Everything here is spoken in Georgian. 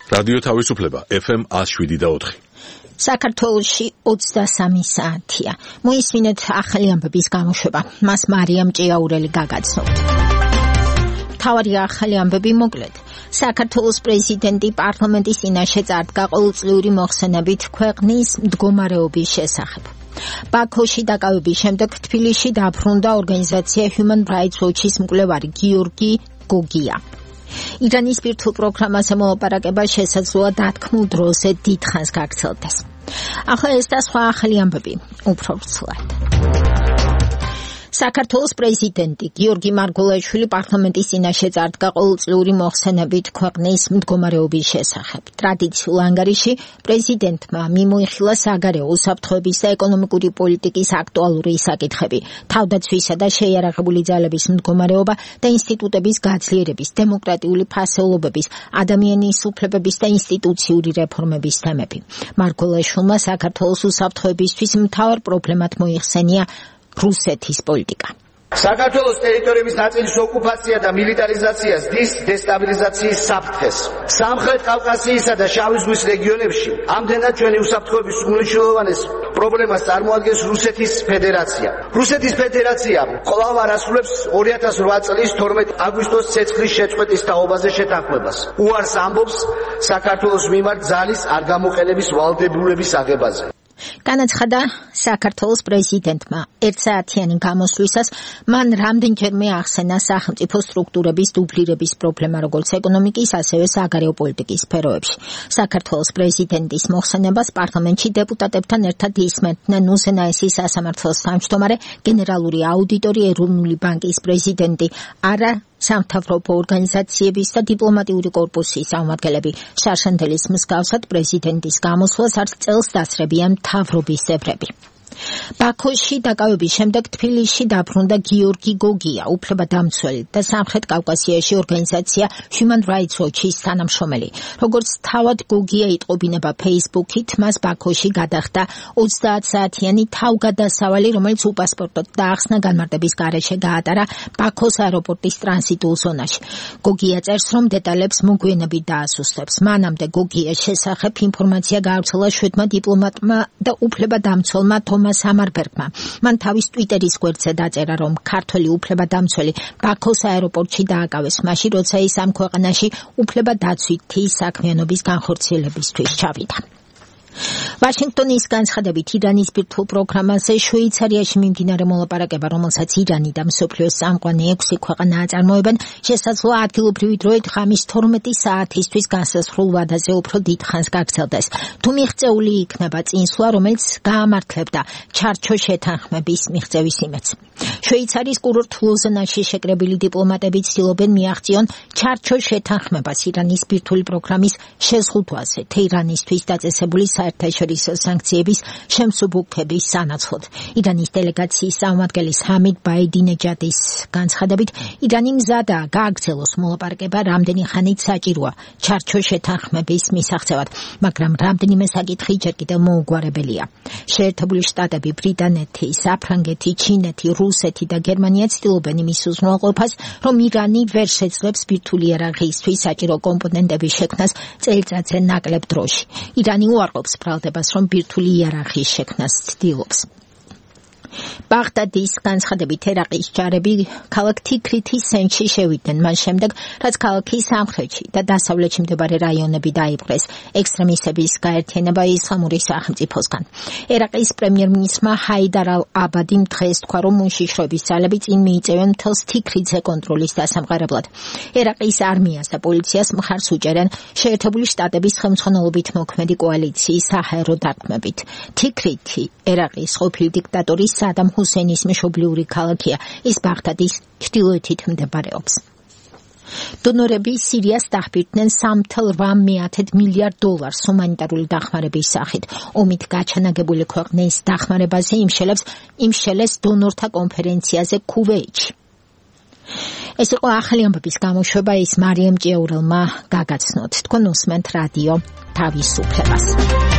რადიო თავისუფლება FM 107.4. საქართველოში 23 საათია. მოისმინეთ ახალი ამბების გამოშვება. მას მარიამ ჭიაურელი გაგაცნობთ. თავარი ახალი ამბები მოკლედ. საქართველოს პრეზიდენტი პარლამენტის წინაშე წარდგა ყოველწლიური მოხსენებით ქვეყნის მდგომარეობის შესახებ. ბაქოში დაკავების შემდეგ თბილისში დაბრუნდა ორგანიზაცია Human Rights Watch-ის მკვლევარი გიორგი გოგია. ირანის ბირთვულ პროგრამაზე მოლაპარაკება შესაძლოა დათქმულ დროზე დიდხანს გაგრძელდეს. ახლა ეს და სხვა ახალი ამბები უფრო ვრცლად. საქართველოს პრეზიდენტი გიორგი მარგველაშვილი პარლამენტის წინაშე წარდგა ყოველწლიური მოხსენებით ქვეყნის მდგომარეობის შესახებ. ტრადიციულ ანგარიში პრეზიდენტმა მიმოიხილა საგარეო უსაფრთხოების და ეკონომიკური პოლიტიკის აქტუალური საკითხები, თავდაცვისა და შეიარაღებული ძალების მდგომარეობა და ინსტიტუტების გაძლიერების, დემოკრატიული ფასეულობების, ადამიანის უფლებების და ინსტიტუციური რეფორმების თემები. მარგველაშვილმა საქართველოს უსაფრთხოებისთვის მთავარ პრობლემად მოიხსენია რუსეთის პოლიტიკა. საქართველოს ტერიტორიების ნაწილის ოკუპაცია და მილიტარიზაცია ზრდის დესტაბილიზაციის საფრთხეს. სამხრეთ კავკასიისა და შავი ზღვის რეგიონებში ამდენად ჩვენი უსაფრთხოების უმნიშვნელოვანეს პრობლემას წარმოადგენს რუსეთის ფედერაცია. რუსეთის ფედერაცია კვლავ არ ასრულებს 2008 წლის 12 აგვისტოს ცეცხლის შეწყვეტის თაობაზე შეთანხმებას. უარს ამბობს საქართველოს მიმართ ძალის არ გამოყენების ვალდებულების აღებაზე. განაცხადა საქართველოს პრეზიდენტმა ერთსაათიანი გამოსვლისას მან რამდენჯერმე ახსენა სახელმწიფო სტრუქტურების დუბლირების პრობლემა როგორც ეკონომიკის, ასევე საგარეო პოლიტიკის სფეროებში. საქართველოს პრეზიდენტის მოხსენებას პარლამენტში დეპუტატებთან ერთად ისმენდნენ უზენაესი სასამართლოს თავმჯდომარე, გენერალური აუდიტორი, ეროვნული ბანკის პრეზიდენტი, არა სამთავრობო ორგანიზაციების და დიპლომატიური კორპუსის წარმომადგენლები. შარშანდელის მსგავსად პრეზიდენტის გამოსვლას არც წელს დასწრებიან მთავრობის წევრები. ბაქოში დაკავების შემდეგ თბილისში დაბრუნდა გიორგი გოგია, უფლებადამცველი და სამხრეთ კავკასიაში ორგანიზაცია Human Rights Watch-ის თანამშრომელი. როგორც თავად გოგია იტყობინება Facebook-ით, მას ბაქოში გადახდა 30 საათიანი თავგადასავალი, რომელიც უპასპორტოდ დაახსნა განმარტების გარეშე გაატარა ბაქოს აეროპორტის ტრანზიტულ ზონაში. გოგია წერს, რომ დეტალებს მოგვიანებით დაასუსტებს. მანამდე გოგიას შესახებ ინფორმაცია გაავრცელა შვედმა დიპლომატმა და უფლებადამცველმა თომას ამარბერგმა. მან თავის ტვიტერის გვერდზე დაწერა, რომ ქართველი უფლებადამცველი ბაქოს აეროპორტში დააკავეს მაშინ, როცა ის ამ ქვეყანაში უფლებადაცვითი საქმიანობის განხორციელებისთვის ჩავიდა. ვაშინგტონის განცხადებით ირანის ბირთვულ პროგრამაზე შვეიცარიაში მიმდინარე მოლაპარაკება, რომელსაც ირანი და მსოფლიოს წამყვანი 6 ქვეყანა აწარმოებენ, შესაძლოა ადგილობრივი დროით ღამის 12 საათისთვის განსაზღვრულ ვადაზე უფრო დიდხანს გაგრძელდეს. თუ მიღწეული იქნება წინსვლა, რომელიც გაამართლებდა ჩარჩო შეთანხმების მიღწევის იმედს. შვეიცარიის კურორტ ლოზანაში შეკრებილი დიპლომატები ცდილობენ მიაღწიონ ჩარჩო შეთანხმებას ირანის ბირთვული პროგრამის შეზღუდვაზე, თეირანისთვის დაწესებული საერთაშორისო სანქციების შემსუბუქების სანაცვლოდ. ირანის დელეგაციის წარმომადგენლის ჰამიდ ბაიდინეჯადის განცხადებით, ირანი მზადაა გააგრძელოს მოლაპარაკება რამდენი ხანით საჭიროა ჩარჩო შეთანხმების მისაღწევად, მაგრამ რამდენიმე საკითხი ჯერ კიდევ მოუგვარებელია. შეერთებული შტატები, ბრიტანეთი, საფრანგეთი, ჩინეთი, რუსეთი და გერმანია ცდილობენ იმის უზრუნველყოფას, რომ ირანი ვერ შეძლებს ბირთვული იარაღისთვის საჭირო კომპონენტების შექმნას წელიწადზე ნაკლებ დროში. ირანი უარყოფს ბრალდებას, რომ ბირთვული იარაღის შექმნას ცდილობს. ბაღდადის განცხადებით ერაყის ჯარები ქალაქ თიქრითის ცენტრში შევიდნენ, მას შემდეგ, რაც ქალაქის სამხრეთში და დასავლეთში მდებარე რაიონები დაიპყრეს ექსტრემისტების გაერთიანება ისლამური სახელმწიფოსგან. ერაყის პრემიერ-მინისტრმა ჰაიდარ ალ-აბადიმ დღეს თქვა, რომ უშიშროების ძალები წინ მიიწევენ მთელს თიქრითზე კონტროლის დასამყარებლად. ერაყის არმიას და პოლიციას მხარს უჭერენ შეერთებული შტატების ხელმძღვანელობით მოქმედი კოალიციის საჰაერო დარტყმებით. თიქრითი ერაყის ყოფილი დიქტატორის სადამ ჰუსეინის მშობლიური ქალაქია, ის ბაღდადის ჩრდილოეთით მდებარეობს. დონორები სირიას დაჰბირდნენ $3.8 მილიარდ ჰუმანიტარული დახმარების სახით. ომით გაჩანაგებული ქვეყნის დახმარებაზე იმშელეს დონორთა კონფერენციაზე ქუვეითში. ეს იყო ახალი ამბების გამოშვება, ის მარიამ ჭიაურელმა გაგაცნოთ. თქვენ უსმენთ რადიო თავისუფლებას.